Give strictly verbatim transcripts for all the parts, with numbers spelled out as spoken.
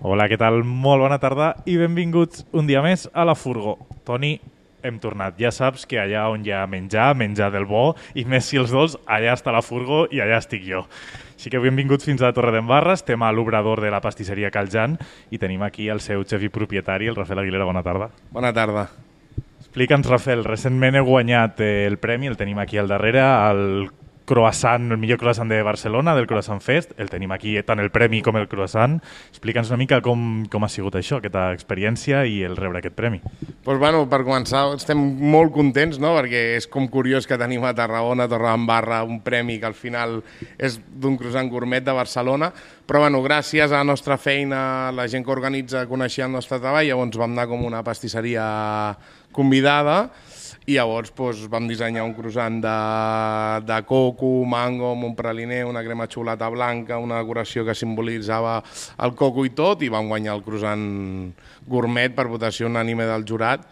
Hola, què tal? Molt bona tarda i benvinguts un dia més a la Furgo. Toni, hem tornat. Ja saps que allà on hi ha menjar, menjar del bo, i més si els dos, allà està la Furgo i allà estic jo. Així que benvinguts fins a Torredembarra, estem a l'obrador de la pastisseria Cal Jan i tenim aquí el seu xef i propietari, el Rafael Aguilera. Bona tarda. Bona tarda. Explica'ns, Rafael, recentment he guanyat el premi, el tenim aquí al darrere, el croissant, el millor croissant de Barcelona, del Croissant Fest. El tenim aquí, tant el premi com el croissant. Explica'ns una mica com, com ha sigut això, aquesta experiència i el rebre aquest premi. Pues bueno, per començar, estem molt contents, no? Perquè és com curiós que tenim a Tarragona, a Torredembarra, un premi que al final és d'un croissant gourmet de Barcelona, però bueno, gràcies a la nostra feina, la gent que organitza coneixia el nostre treball, llavors vam anar com una pastisseria convidada i llavors doncs, vam dissenyar un croissant de, de coco, mango, amb un praliner, una crema de xocolata blanca, una decoració que simbolitzava el coco i tot, i vam guanyar el croissant gourmet per votació unànime del jurat.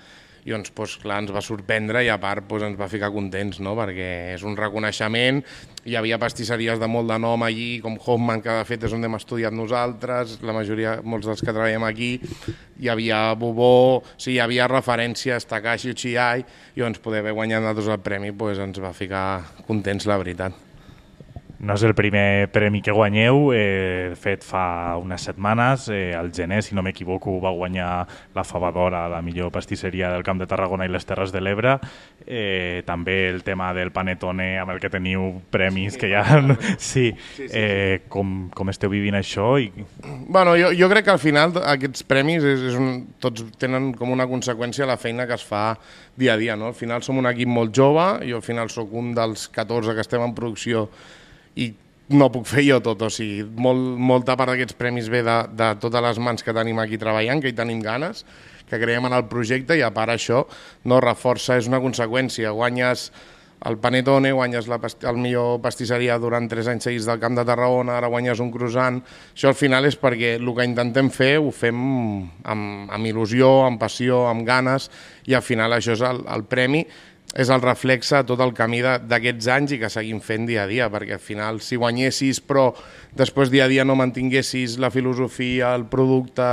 I doncs, doncs, clar, ens va sorprendre i a part doncs, ens va ficar contents, no? Perquè és un reconeixement. Hi havia pastisseries de molt de nom allí, com Hoffman, que de fet és on hem estudiat nosaltres, la majoria, molts dels que treballem aquí. Hi havia Bobó, o sigui, hi havia referències, Takashi Uchiyai, i doncs poder haver guanyat nosaltres el premi doncs, ens va ficar contents, la veritat. No és el primer premi que guanyeu, eh, de fet fa unes setmanes, eh, al gener, si no m'equivoco, va guanyar la Favadora, la millor pastisseria del Camp de Tarragona i les Terres de l'Ebre. Eh, també el tema del Panettone, amb el que teniu premis, que ja... Sí, eh, com, com esteu vivint això? I... Bueno, jo, jo crec que al final aquests premis és, és un, tots tenen com una conseqüència la feina que es fa dia a dia, no? Al final som un equip molt jove, jo al final sóc un dels catorze que estem en producció i no puc fer jo tot, o sigui, molt, molta part d'aquests premis ve de, de totes les mans que tenim aquí treballant, que hi tenim ganes, que creiem en el projecte i a part això no reforça, és una conseqüència. Guanyes el Panettone, guanyes la, el millor pastisseria durant tres anys seguits del Camp de Tarragona, ara guanyes un croissant. Això al final és perquè el que intentem fer ho fem amb, amb il·lusió, amb passió, amb ganes, i al final això és el, el premi, és el reflexe de tot el camí d'aquests anys i que seguim fent dia a dia, perquè al final si guanyessis però després dia a dia no mantinguessis la filosofia, el producte,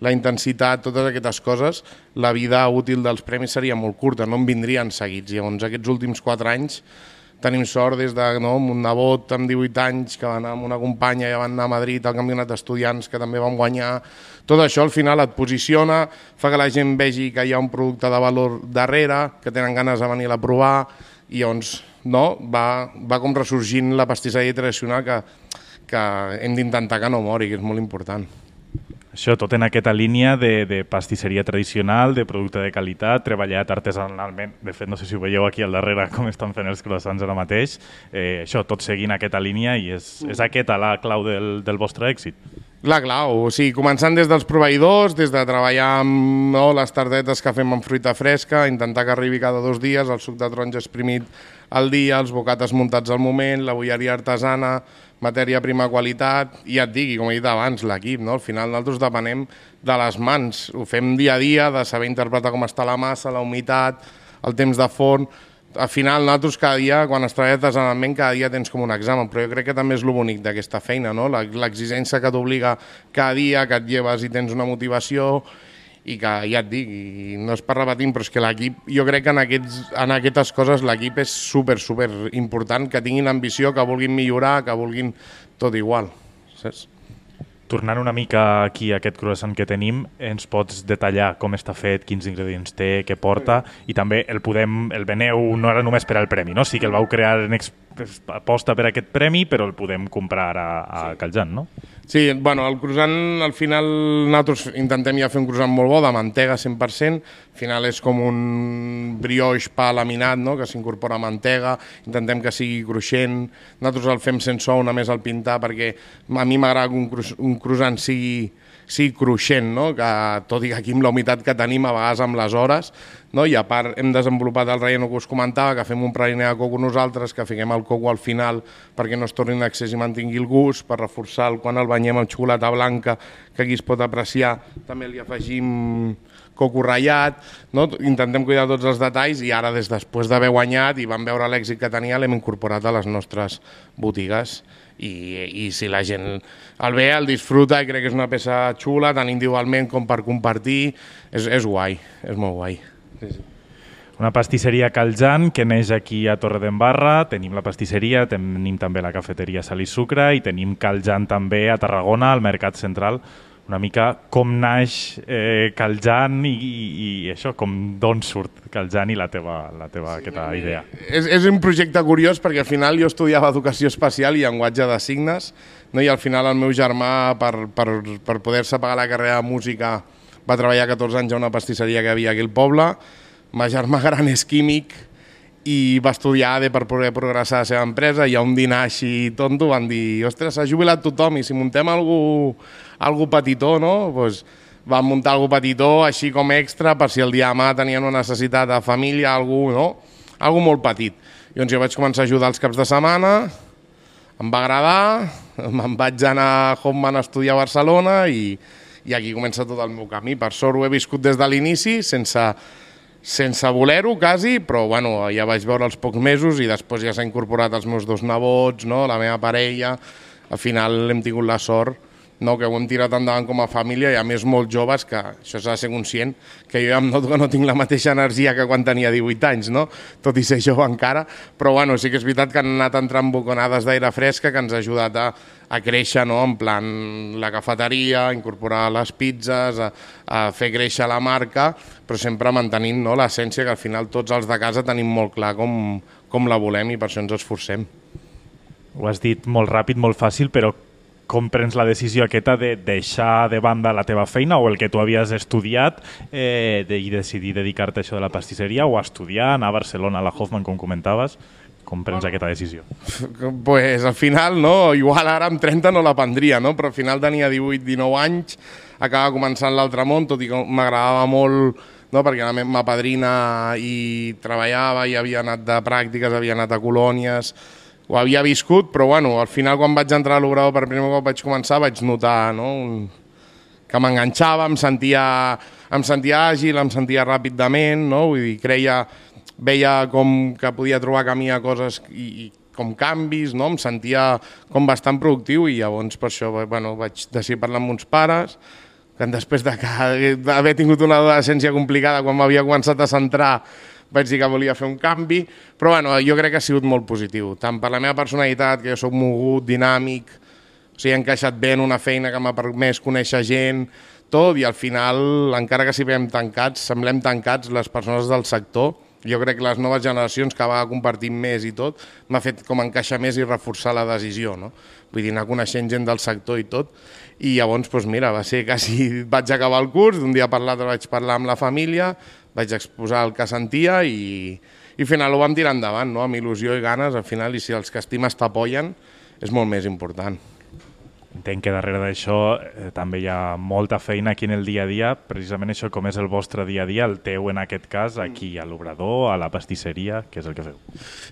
la intensitat, totes aquestes coses, la vida útil dels premis seria molt curta, no en vindrien seguits. Llavors aquests últims quatre anys tenim sort des de no, un nebot amb divuit anys que va anar amb una companya i van anar a Madrid al campionat d'estudiants que també vam guanyar. Tot això al final et posiciona, fa que la gent vegi que hi ha un producte de valor darrere, que tenen ganes de venir a provar i llavors no, va, va com ressorgint la pastisseria tradicional que, que hem d'intentar que no mori, que és molt important. Això, tot en aquesta línia de, de pastisseria tradicional, de producte de qualitat, treballat artesanalment. De fet, no sé si ho veieu aquí al darrere com estan fent els croissants ara mateix. Eh, això, tot seguint aquesta línia i és, és aquesta la clau del, del vostre èxit. La clau, o sigui, començant des dels proveïdors, des de treballar amb no, les tardetes que fem amb fruita fresca, intentar que arribi cada dos dies, el suc de taronja exprimit al dia, els bocates muntats al moment, la bolleria artesana, matèria prima qualitat, i ja et digui, com he dit abans, l'equip, no? Al final nosaltres depenem de les mans, ho fem dia a dia, de saber interpretar com està la massa, la humitat, el temps de forn. Al final nosaltres cada dia, quan es treballa artesanalment, cada dia tens com un examen, però jo crec que també és lo bonic d'aquesta feina, no? L'exigència que t'obliga cada dia, que et lleves i tens una motivació, i que ja et dic, i no és per repetir, però és que l'equip, jo crec que en, aquests, en aquestes coses l'equip és super, super important, que tinguin ambició, que vulguin millorar, que vulguin tot igual, saps? Tornant una mica aquí a aquest croissant que tenim, ens pots detallar com està fet, quins ingredients té, què porta, i també el podem, el veneu no era només per al premi, no? Sí que el vau crear en aposta per aquest premi, però el podem comprar a, a Cal Jan, no? Sí, bueno, el croissant, al final, nosaltres intentem ja fer un croissant molt bo, de mantega cent per cent, al final és com un brioix pa laminat, no?, que s'incorpora mantega, intentem que sigui cruixent, nosaltres el fem sense ou, només el pintar, perquè a mi m'agrada que un, cru un croissant sigui, sigui cruixent, no?, que tot i que aquí amb la humitat que tenim, a vegades amb les hores, no? I a part hem desenvolupat el relleno que us comentava, que fem un praliner de coco nosaltres, que fiquem el coco al final perquè no es torni en excés i mantingui el gust, per reforçar quan el banyem amb xocolata blanca, que aquí es pot apreciar, també li afegim coco ratllat, no? Intentem cuidar tots els detalls i ara, des després d'haver guanyat i vam veure l'èxit que tenia, l'hem incorporat a les nostres botigues i, i si la gent el ve, el disfruta i crec que és una peça xula, tant individualment com per compartir, és, és guai, és molt guai. Sí, sí. Una pastisseria Caljan que neix aquí a Torredembarra, tenim la pastisseria, tenim també la cafeteria Sal i Sucre i tenim Caljan també a Tarragona, al Mercat Central. Una mica com naix eh, Caljan i, i, i això, com d'on surt Caljan i la teva, la teva sí, aquesta idea. És, és un projecte curiós perquè al final jo estudiava educació especial i llenguatge de signes, no? I al final el meu germà, per, per, per poder-se pagar la carrera de música, va treballar catorze anys a una pastisseria que havia aquí al poble. Ma germà gran és químic i va estudiar A D E per poder progressar a la seva empresa i a un dinar així tonto van dir ostres, s'ha jubilat tothom i si muntem algú, algú petitó, no? Pues van muntar algú petitó així com extra per si el dia demà tenien una necessitat de família, algú, no? Algú molt petit. Llavors jo vaig començar a ajudar els caps de setmana, em va agradar, me'n vaig anar a Hoffman a estudiar a Barcelona i, i aquí comença tot el meu camí. Per sort ho he viscut des de l'inici, sense... sense voler-ho, quasi, però bueno, ja vaig veure els pocs mesos i després ja s'ha incorporat els meus dos nebots, no? La meva parella. Al final hem tingut la sort, no? Que ho hem tirat endavant com a família i a més molt joves, que això s'ha de ser conscient, que jo ja em noto que no tinc la mateixa energia que quan tenia divuit anys, no? Tot i ser jove encara, però bueno, sí que és veritat que han anat entrant boconades d'aire fresca que ens ha ajudat a, a créixer, no? En plan la cafeteria, a incorporar les pizzas, a, a fer créixer la marca, però sempre mantenint, no? L'essència que al final tots els de casa tenim molt clar com, com la volem i per això ens esforcem. Ho has dit molt ràpid, molt fàcil, però com prens la decisió aquesta de deixar de banda la teva feina o el que tu havies estudiat eh, de, i decidir dedicar-te a això de la pastisseria o a estudiar, anar a Barcelona, a la Hoffman, com comentaves? Com prens aquesta decisió? Pues al final, no, igual ara amb trenta no la prendria, no? Però al final tenia divuit dinou anys, acaba començant l'altre món, tot i que m'agradava molt, no? Perquè la meva padrina hi treballava, i havia anat de pràctiques, havia anat a colònies, ho havia viscut, però bueno, al final quan vaig entrar a l'obrador per primer cop vaig començar, vaig notar, no? Un... que m'enganxava, em sentia, em sentia àgil, em sentia ràpidament, no? Vull dir, creia, veia com que podia trobar camí a coses i, i com canvis, no? Em sentia com bastant productiu i llavors per això bueno, vaig decidir parlar amb uns pares, que després d'haver tingut una adolescència complicada quan m'havia començat a centrar vaig dir que volia fer un canvi, però bueno, jo crec que ha sigut molt positiu, tant per la meva personalitat, que jo soc mogut, dinàmic, o sigui, he encaixat bé en una feina que m'ha permès conèixer gent, tot, i al final, encara que siguem tancats, semblem tancats les persones del sector, jo crec que les noves generacions que va compartint més i tot, m'ha fet com encaixar més i reforçar la decisió, no? Vull dir, anar coneixent gent del sector i tot, i llavors, doncs mira, va ser quasi... vaig acabar el curs, d'un dia per l'altre vaig parlar amb la família, vaig exposar el que sentia i, i al final ho vam tirar endavant, no? Amb il·lusió i ganes, al final, i si els que estimes t'apoyen, és molt més important. Entenc que darrere d'això eh, també hi ha molta feina aquí en el dia a dia, precisament això com és el vostre dia a dia, el teu en aquest cas, aquí a l'obrador, a la pastisseria, què és el que feu?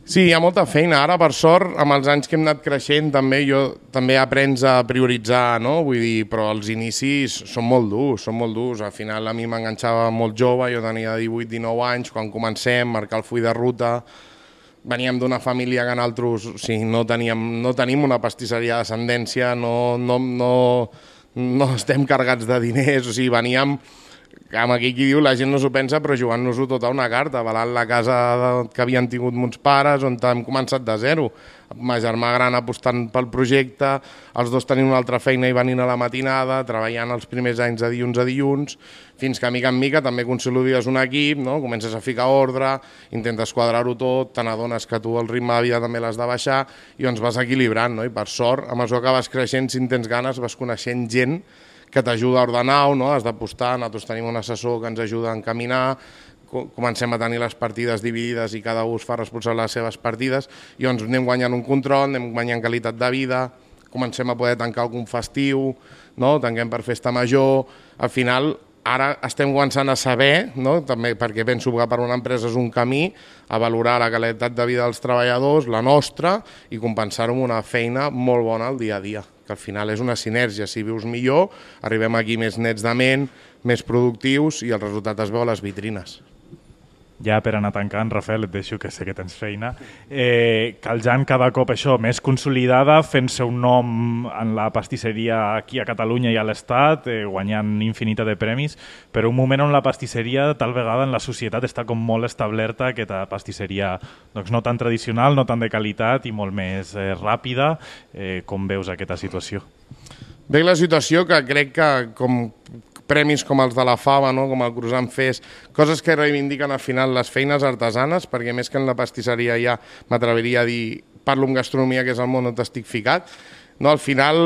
Sí, hi ha molta feina. Ara, per sort, amb els anys que hem anat creixent, també jo també aprens a prioritzar, no? Vull dir, però els inicis són molt durs, són molt durs. Al final a mi m'enganxava molt jove, jo tenia divuit dinou anys, quan comencem, marcar el full de ruta. Veníem d'una família que nosaltres o sigui, no, teníem, no tenim una pastisseria d'ascendència, no, no, no, no estem carregats de diners, o sigui, veníem, amb aquí qui diu, la gent no s'ho pensa, però jugant-nos-ho tota una carta, avalant la casa de, que havien tingut mons pares, on hem començat de zero. Ma germà gran apostant pel projecte, els dos tenint una altra feina i venint a la matinada, treballant els primers anys de dilluns a dilluns, fins que mica en mica també consolides un equip, no? Comences a ficar ordre, intentes quadrar-ho tot, te n'adones que tu el ritme de vida també l'has de baixar i ens vas equilibrant, no? I per sort, a mesura que vas creixent, si en tens ganes, vas coneixent gent que t'ajuda a ordenar-ho, no? Has d'apostar, nosaltres tenim un assessor que ens ajuda a encaminar, comencem a tenir les partides dividides i cada un es fa responsable de les seves partides i doncs anem guanyant un control, anem guanyant qualitat de vida, comencem a poder tancar algun festiu, no? Tanquem per festa major, al final ara estem començant a saber, no? També perquè penso que per una empresa és un camí, a valorar la qualitat de vida dels treballadors, la nostra, i compensar-ho amb una feina molt bona al dia a dia, que al final és una sinergia, si vius millor, arribem aquí més nets de ment, més productius i el resultat es veu a les vitrines. ja per anar tancant, Rafael, et deixo que sé que tens feina, eh, Caljan cada cop això més consolidada, fent-se un nom en la pastisseria aquí a Catalunya i a l'Estat, eh, guanyant infinitat de premis, però un moment on la pastisseria tal vegada en la societat està com molt establerta, aquesta pastisseria doncs, no tan tradicional, no tan de qualitat i molt més eh, ràpida. Eh, com veus aquesta situació? Veig la situació que crec que com premis com els de la Fava, no? Com el Croissant Fest, coses que reivindiquen al final les feines artesanes, perquè més que en la pastisseria ja m'atreviria a dir, parlo en gastronomia, que és el món on estic ficat, no? Al final,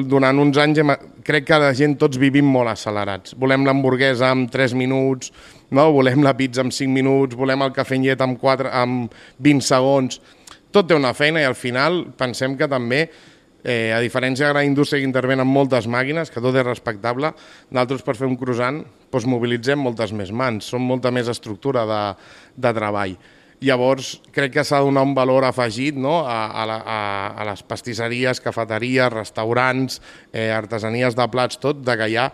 durant uns anys, hem, crec que la gent tots vivim molt accelerats. Volem l'hamburguesa en tres minuts, no? Volem la pizza en cinc minuts, volem el cafè en llet en, quatre, en vint segons. Tot té una feina i al final pensem que també Eh, a diferència de la indústria que intervenen moltes màquines, que tot és respectable, nosaltres per fer un croissant doncs mobilitzem moltes més mans, són molta més estructura de, de treball. Llavors, crec que s'ha de donar un valor afegit, no? a, a, la, a, a les pastisseries, cafeteries, restaurants, eh, artesanies de plats, tot, de que hi ha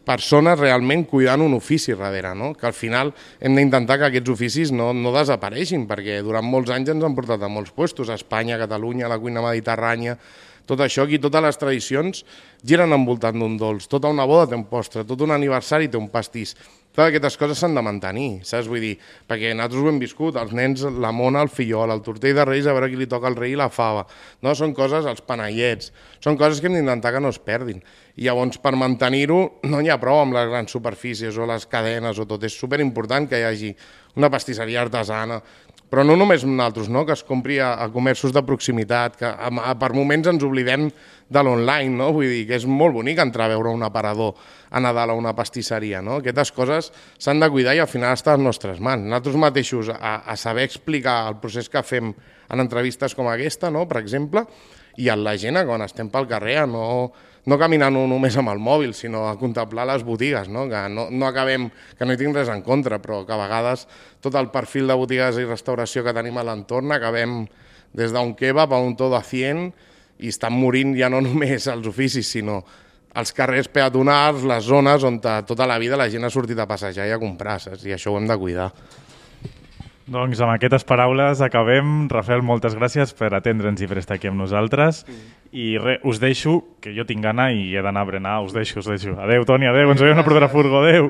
persones realment cuidant un ofici darrere, no? Que al final hem d'intentar que aquests oficis no, no desapareixin, perquè durant molts anys ens han portat a molts puestos, a Espanya, a Catalunya, a la cuina mediterrània, tot això aquí, totes les tradicions giren envoltant d'un dolç, tota una boda té un postre, tot un aniversari té un pastís. Totes aquestes coses s'han de mantenir, saps? Vull dir, perquè nosaltres ho hem viscut, els nens, la mona, el fillol, el tortell de Reis, a veure qui li toca el rei i la fava. No? Són coses, els panellets, són coses que hem d'intentar que no es perdin. I llavors, per mantenir-ho, no n'hi ha prou amb les grans superfícies o les cadenes o tot. És superimportant que hi hagi una pastisseria artesana, però no només nosaltres, no? Que es compri a, a comerços de proximitat, que a, a, per moments ens oblidem de l'online, no? Vull dir que és molt bonic entrar a veure un aparador a Nadal a una pastisseria, no? Aquestes coses s'han de cuidar i al final està a les nostres mans. Nosaltres mateixos a, a saber explicar el procés que fem en entrevistes com aquesta, no? Per exemple, i a la gent quan estem pel carrer a no... no caminant només amb el mòbil, sinó a contemplar les botigues, no? Que no, no acabem, que no hi tinc res en contra, però que a vegades tot el perfil de botigues i restauració que tenim a l'entorn acabem des d'un kebab a un todo a cien i estan morint ja no només els oficis, sinó els carrers peatonals, les zones on tota la vida la gent ha sortit a passejar i a comprar, saps? I això ho hem de cuidar. Doncs amb aquestes paraules acabem. Rafael, moltes gràcies per atendre'ns i per estar aquí amb nosaltres. I res, us deixo, que jo tinc gana i he d'anar a berenar, us deixo, us deixo. Adéu, Toni, adéu, ens veiem a la propera furgo, adéu.